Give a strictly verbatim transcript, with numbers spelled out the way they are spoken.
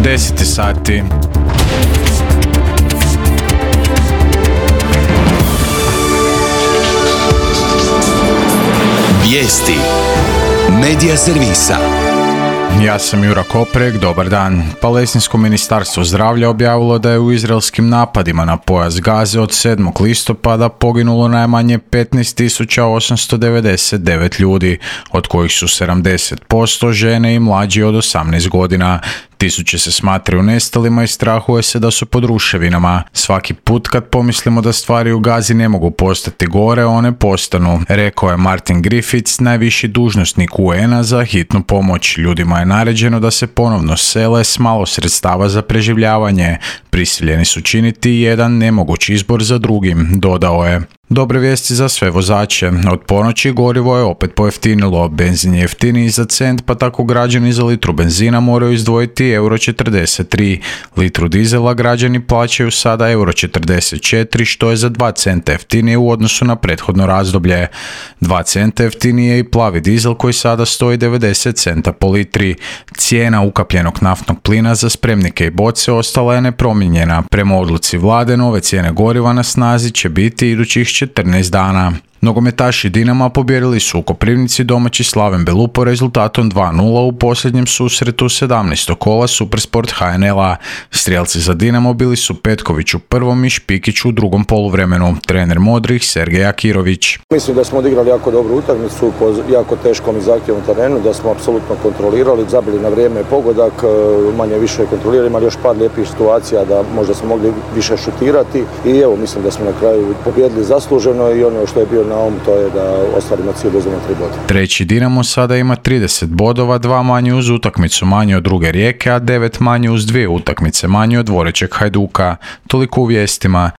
deset sati. Vijesti Medija servisa. Ja sam Jura Koprek, dobar dan. Palestinsko ministarstvo zdravlja objavilo da je u izraelskim napadima na pojas Gaze od sedmog listopada poginulo najmanje petnaest tisuća osamsto devedeset devet ljudi, od kojih su sedamdeset posto žene i mlađi od osamnaest godina. Tisuće se smatraju nestalima i strahuje se da su pod ruševinama. Svaki put kad pomislimo da stvari u Gazi ne mogu postati gore, one postanu, rekao je Martin Griffiths, najviši dužnosnik U N-a za hitnu pomoć. Ljudima je naređeno da se ponovno sele s malo sredstava za preživljavanje. Prisiljeni su činiti jedan nemogući izbor za drugim, dodao je. Dobre vijesti za sve vozače. Od ponoći gorivo je opet pojeftinilo. Benzin je jeftiniji za cent, pa tako građani za litru benzina moraju izdvojiti euro četrdeset tri. Litru dizela građani plaćaju sada euro četrdeset četiri, što je za dva centa jeftinije u odnosu na prethodno razdoblje. dva centa jeftinije je i plavi dizel koji sada stoji devedeset centa po litri. Cijena ukapljenog naftnog plina za spremnike i boce ostala je nepromijenjena. Prema odluci vlade, nove cijene goriva na snazi će biti idućih četrnaest dana. Nogometaši Dinama pobijedili su u Koprivnici domaći Slaven Belupo rezultatom dva nula u posljednjem susretu sedamnaestog kola Supersport H N L-a. Strijelci za Dinamo bili su Petković u prvom i Špikić u drugom poluvremenu. Trener modrih Sergej Akirović. Mislim da smo odigrali jako dobru utakmicu po jako teškom i zahtjevnom terenu, da smo apsolutno kontrolirali, zabili na vrijeme pogodak, manje više kontrolirali, imali još par lijepih situacija da možda smo mogli više šutirati i evo mislim da smo na kraju pobijedili zasluženo i ono što je bio na ovom, to je da ostvarimo cilj da uzmemo tri boda. Treći Dinamo sada ima trideset bodova, dva manje uz utakmicu manje od druge Rijeke, a devet manje uz dvije utakmice manje od dvorećeg Hajduka. Toliko u vijestima.